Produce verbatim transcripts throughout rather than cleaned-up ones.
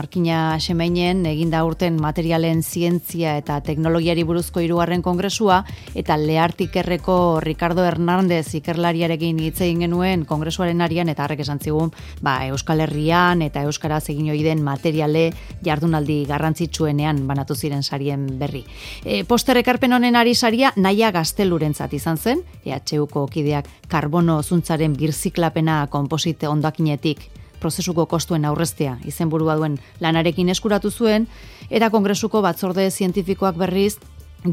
Markina Xemeinen eginda urten materialen zientzia eta teknologiari buruzko hirugarren kongresua eta Leartikerreko Ricardo Hernández ikerlariarekin hitz egin genuen kongresuaren arian eta harrek esan zigun, ba, Euskal Herrian eta euskaraz egin ohi den materiale jardunaldi garrantzitsuenean banatu ziren sarien berri. E, poster ekarpen honen ari saria Naia Gaztelurentzat izan zen, E H Uko kideak karbono zuntzaren birziklapena konposite hondakinetik prozesuko kostuen aurreztea izenburua duen lanarekin eskuratu zuen, eta kongresuko batzorde zientifikoak berriz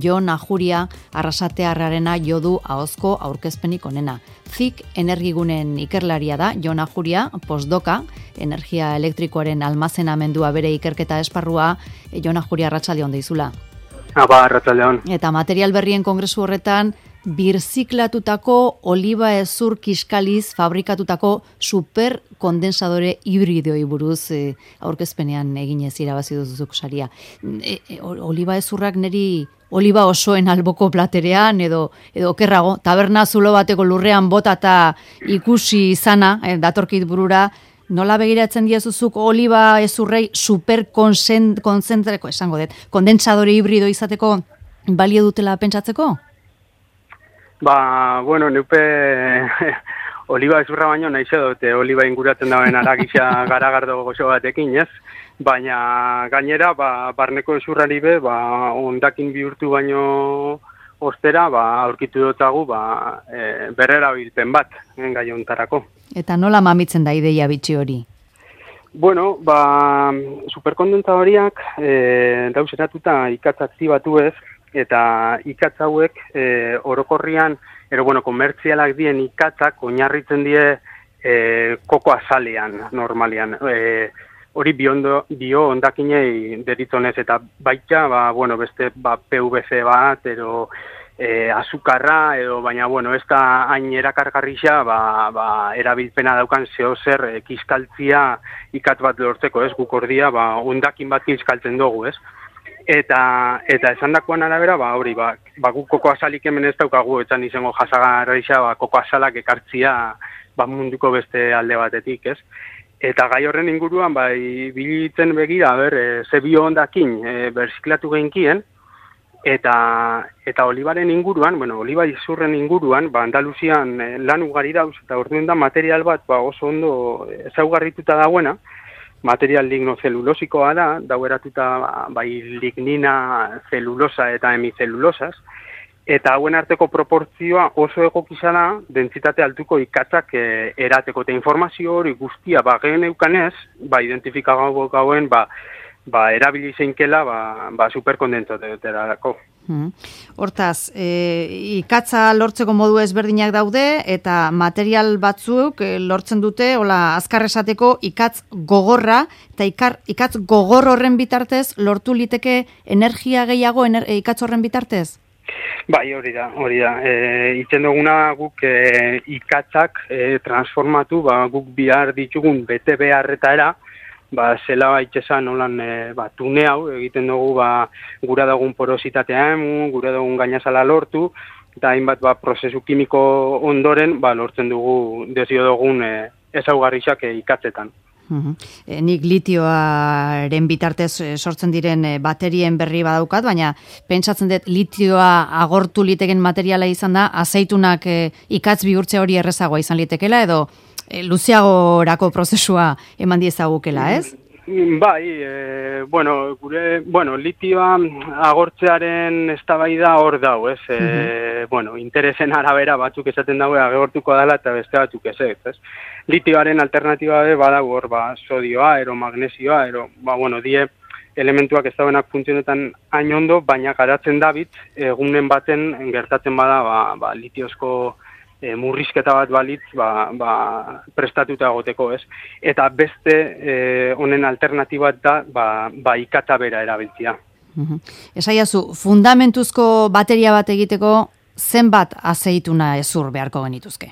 Jon Ajuria Arrasatearrarena jodu ahozko aurkezpenik onena. Z I C energigunen ikerlaria da Jon Ajuria, postdoka, energia elektrikoaren almazenamendua bere ikerketa esparrua. Jon Ajuria, arratsalde on deizula. Aba, arratsalde on. Eta material berrien kongresu horretan birziklatutako oliba hezur kiskaliz fabrikatutako superkondensadore hibridoei buruz e, aurkezpenean eginez irabazi duzuk saria. E, e, oliba hezurrak neri oliba osoen alboko platerean edo edo okerrago, taberna zulo bateko lurrean botata ikusi izana, e, datorkit burura, nola begiratzen diezuzuk oliba hezurrei superkontzentreko, esango dut, kondensadore hibrido izateko balio dutela pentsatzeko? Ba, bueno, neupe oliba ezurra baino nahi dute oliba inguratzen dauen aragisa garagardo goxo batekin, ez? Baina gainera, ba, barneko ezurrari be, ba, ondakin bihurtu baino ostera, ba, aurkitu dotagu, ba, e, berrera bilpen bat, gai hontarako. Eta nola mamitzen da ideia bitxi hori? Bueno, ba, superkondensadoriak e, dauzeratuta ikatz aktibatu ez, eta ikatz hauek e, orokorrian, ero bueno, komertzialak dien ikatzak oinarritzen die e, koko azalean, normalian. E, hori biondo, bio ondakinei deritzonez, eta baita, ba, bueno, beste ba, P V C bat, ero e, azukarra, edo, baina, bueno, ez da hain erakargarrixa, ba, ba, erabilpena daukan zehozer e, kiskaltzia ikatz bat lortzeko, ez, guk ordia, ba, ondakin bat kiskaltzen dugu, ez. Eta eta esandakoan arabera, ba hori, ba, ba guk koko azalik hemen ez daukagu, etzan izango jasagarrixa, ba koko azalak ekartzia ba munduko beste alde batetik, ez? Eta gai horren inguruan bai bilitzen begira, ber, e, ze bio hondakin e, berziklatu geinkien, eta eta olibaren inguruan, bueno, oliba izurren inguruan, ba Andaluzian e, lan ugari dauz eta orduen da material bat ba oso ondo ezaugarrituta dagoena. Material lignozelulosikoa da, daueratuta bai lignina, zelulosa eta hemizelulosaz, eta hauen arteko proportzioa oso egokisa da, dentsitate altuko ikatzak e, erateko, eta informazio hori guztia ba gehen eukanez, ba identifikagago gauen, ba, ba erabili zeinkela, ba, ba superkondensatorerako. Hmm. Hortaz, e, ikatza lortzeko modu ezberdinak daude eta material batzuk e, lortzen dute, hola, azkar esateko ikatz gogorra, eta ikar, ikatz gogor horren bitartez lortu liteke energia gehiago ener, e, ikatz horren bitartez? Bai, hori da, hori da. E, itzen duguna guk e, ikatzak e, transformatu, ba, guk bihar ditugun bete beharretara, ba, zela baitxesan holan e, ba, tune hau, egiten dugu ba, gura dugun porositatea emun, gura dugun gainazala lortu, eta hainbat ba, prozesu kimiko ondoren ba, lortzen dugu desio dugun e, ezaugarriak e, ikatzetan. Uhum. E, nik litioaren bitartez sortzen diren e, baterien berri badaukat, baina pentsatzen dut litioa agortu liteken materiala izan da, azeitunak e, ikatz bihurtze hori errezagoa izan litekela, edo E, luzeagorako prozesua eman diezagukela, ez? Bai, e, bueno, gure, bueno, litioa agortzearen eztabaida hor dau, ez? E, uh-huh. Bueno, interesen arabera batzuk esaten dago agortuko dela eta beste batzuk ez, ez? Litioaren alternatiba be badago hor, ba, sodioa, ero magnesioa, ero, ba, bueno, die elementuak ez dauenak funtzionetan hain ondo, baina garatzen dabit, egunen baten gertatzen bada, ba, ba litiozko E, murrizketa bat balitz ba, ba, prestatuta egoteko, ez? Eta beste e, honen alternatibat da ba, ba ikatza bera erabiltzea. Uh-huh. Esaiazu, fundamentuzko bateria bat egiteko zenbat azeituna hezur beharko genituzke?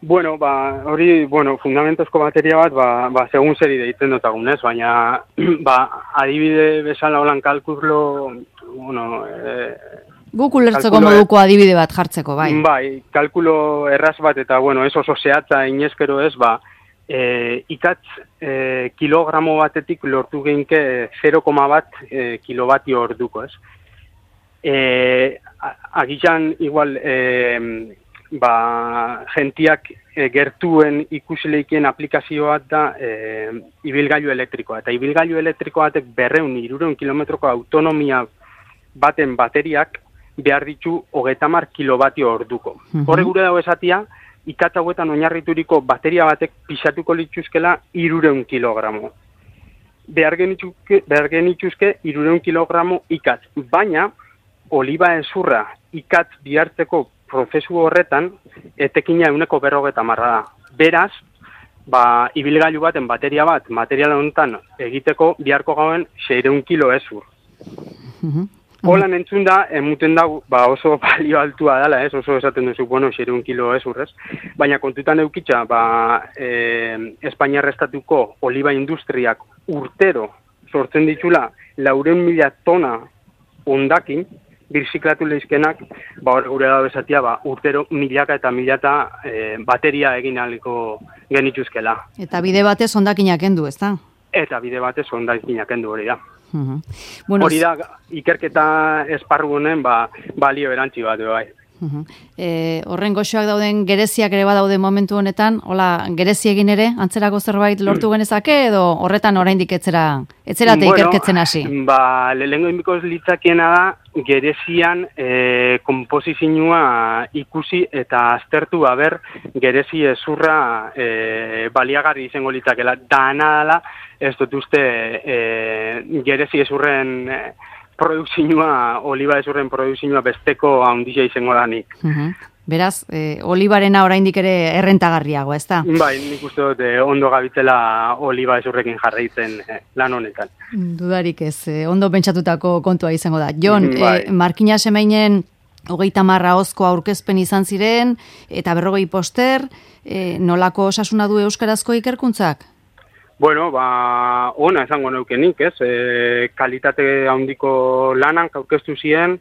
Bueno, ba, hori, bueno, fundamentuzko bateria bat, ba, ba segun zeri deitzen dotagun, ez? Baina, ba, adibide bezala holan kalkulo, bueno, e, Guk ulertzeko moduko adibide bat jartzeko, bai. Bai, kalkulo erraz bat eta, bueno, ez oso zehatza inezkero ez, ba, e, ikatz e, kilogramo batetik lortu geinke zero koma bat e, kilobatio orduko, ez? E, agian igual e, ba, gentiak e, gertuen ikusleikien aplikazioa da e, ibilgailu elektrikoa. Eta ibilgailu elektrikoa batek berreun, irureun kilometroko autonomia baten bateriak behar ditu hogeita hamar kilobatio orduko. Mm-hmm. Horre gure dago esatia, ikatz hauetan oinarrituriko bateria batek pisatuko lituzkela irureun kilogramo. Behar genituzke, behar genituzke irureun kilogramo ikatz. Baina, oliba ezurra ikatz bihartzeko prozesu horretan, etekina euneko berrogeta marra da. Beraz, ba, ibilgailu baten bateria bat, material honetan egiteko biharko gauen seireun kilo ezur. Mm-hmm. Holan entzun da, emuten da, ba, oso balio altua dela, ez? Oso esaten duzu, bueno, seireun kilo ezur, ez? Baina kontutan eukitza, ba, e, Espainiar estatuko oliba industriak urtero sortzen ditula laureun mila tona ondakin, birziklatu lehizkenak, ba, hor gure da bezatia, ba, urtero milaka eta milaka e, bateria egin aliko genituzkela. Eta bide batez ondakinak endu, ez da? Eta bide batez ondakinak endu hori da. Uh-huh. Bueno, hori da, ikerketa esparru honen, ba, balio erantzi bat, bai. Uh-huh. E, horren goxoak dauden gereziak ere badaude momentu honetan, hola, gerezi egin ere, antzerako zerbait lortu genezake, edo horretan oraindik etzera, etzera te bueno, ikerketzen hasi? Ba, lehengo inbikoz litzakiena da, gerezian e, komposizioa ikusi eta aztertu haber gerezi ezurra e, baliagarri izango litzakela. Dana dela, ez dut uste e, gerezi ezurren e, produkzioa, oliba ezurren produkzioa besteko handia izango danik. Uh-huh. Beraz, e, olibarena oraindik ere errentagarriago, ez da? Bai, nik uste dut e, ondo gabitzela oliba ezurrekin jarraitzen e, lan honetan. Dudarik ez, e, ondo pentsatutako kontua izango da. Jon, bai. e, Markina Semeinen hogeita marra hozko aurkezpen izan ziren, eta berrogei poster, e, nolako osasuna du euskarazko ikerkuntzak? Bueno, ba, ona esango neukenik, ez? E, kalitate handiko lanan aurkeztu ziren,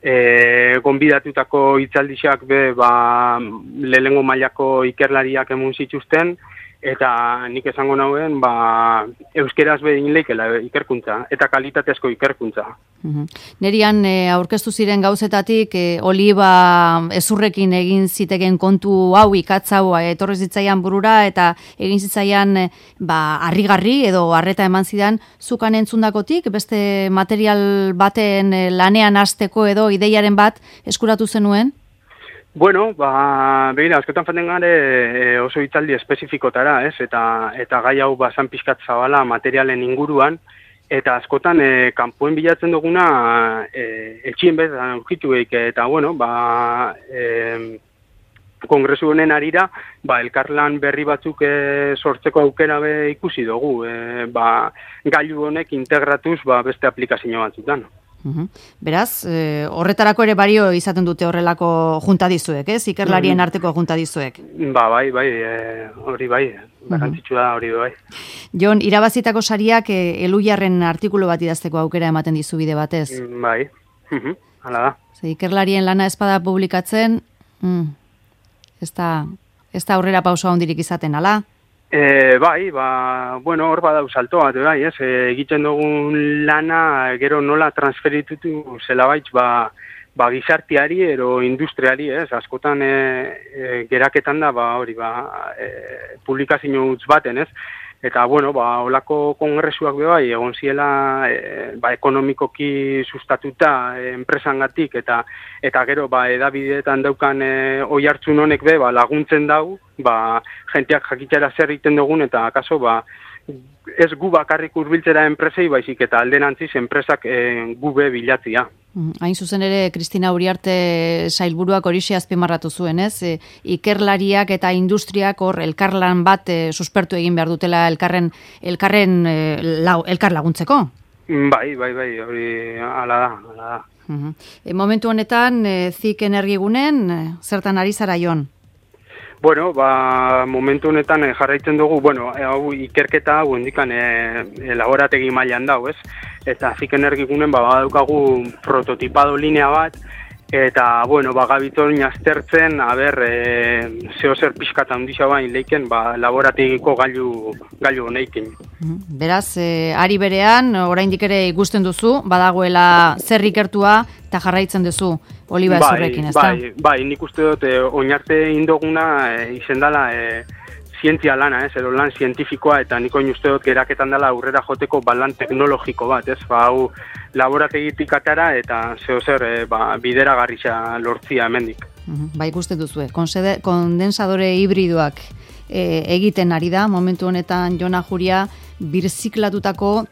e, gonbidatutako hitzaldixak be, ba, lehengo mailako ikerlariak emun zituzten, eta nik esango nauen, ba, euskeraz behin leikela ikerkuntza, eta kalitatezko ikerkuntza. Uhum. Nerian e, aurkeztu ziren gauzetatik, e, oliba ezurrekin egin ziteken kontu hau, ikatz hau, etorri zitzaian burura, eta egin zitzaian e, ba, harrigarri edo harreta eman zidan, zukan entzundakotik, beste material baten e, lanean hasteko edo ideiaren bat eskuratu zenuen? Bueno, ba, begira, askotan faten gare e, oso hitzaldi espezifikotara, ez? Eta, eta gai hau basan pixkat zabala materialen inguruan, eta askotan e, kanpoen bilatzen duguna e, etxien bez aurkitu eik, eta bueno, ba, e, kongresu honen arira, ba, elkarlan berri batzuk e, sortzeko aukera be ikusi dugu, e, ba, gailu honek integratuz ba, beste aplikazio batzutan. Uhum. Beraz, e, horretarako ere bario izaten dute horrelako junta dizuek, ez? Ikerlarien uhum. arteko junta dizuek. Ba, bai, bai, e, hori bai, garrantzitsua da hori bai. Jon, irabazitako sariak e, Elujarren artikulu bat idazteko aukera ematen dizu bide batez. Bai, uhum. Hala da. Ze, Ikerlarien lana espada publikatzen, mm, ez da, ez da aurrera pauso handirik izaten, ala? E, bai, ba, bueno, hor badau salto bat, bai, ez, e, egiten dugun lana, gero nola transferitutu zelabaitz, ba, ba, gizartiari ero industriari, ez, askotan e, e, geraketan da, ba, hori, ba, e, publikazio utz baten, ez, eta, bueno, ba, olako kongresuak be bai, egon ziela, e, ba, ekonomikoki sustatuta e, enpresangatik, eta, eta gero, ba, edabideetan daukan e, oi hartzun honek be, ba, laguntzen dau, ba, jenteak jakitera zer egiten dugun, eta akaso, ba, ez gu bakarrik hurbiltzera enpresei, baizik eta alderantziz enpresak e, gube bilatzia. Hain zuzen ere, Kristina Uriarte sailburuak horixe azpimarratu zuen, ez? E, ikerlariak eta industriak hor elkarlan bat e, suspertu egin behar dutela elkarren, elkarren e, lau, elkar laguntzeko? Bai, bai, bai, hori ala da, ala da. Uh-huh. E, momentu honetan, e, zik energigunen, e, zertan ari zara, Jon? Bueno, ba, momentu honetan eh, jarraitzen dugu, bueno, eh, hau ikerketa hau indikan eh, laborategi mailan dau, ez? Eta zik energigunen ba, badaukagu prototipado linea bat, Eta, bueno, ba, gabiton aztertzen, haber, e, zeo zer pixkata handisa bain leiken, ba, laborategiko gailu, gailu honeikin. Beraz, e, ari berean, oraindik ere ikusten duzu, badagoela zer ikertua eta jarraitzen duzu Oliba Ezurrekin, ezta? Bai, bai, nik uste dut, e, oinarte indoguna e, izendala e, zientzia lana, ez, edo lan zientifikoa, eta niko uste dut geraketan dela aurrera joteko balan teknologiko bat, ez, ba, hau laborategitik atara eta zeo zer e, ba, bideragarria lortzia hemendik. Ba, ikusten duzue, kondensadore hibridoak e, egiten ari da, momentu honetan Jon Ajuria birziklatutako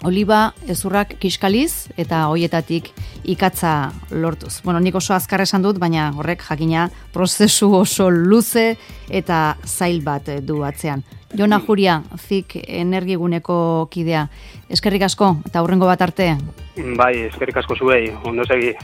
oliba ezurrak kiskaliz eta hoietatik ikatza lortuz. Bueno, nik oso azkar esan dut, baina horrek jakina prozesu oso luze eta zail bat du atzean. Jon Ajuria, F I K Energiguneko kidea. Eskerrik asko eta hurrengo bat arte. Bai, eskerrik asko zuei, ondo segi.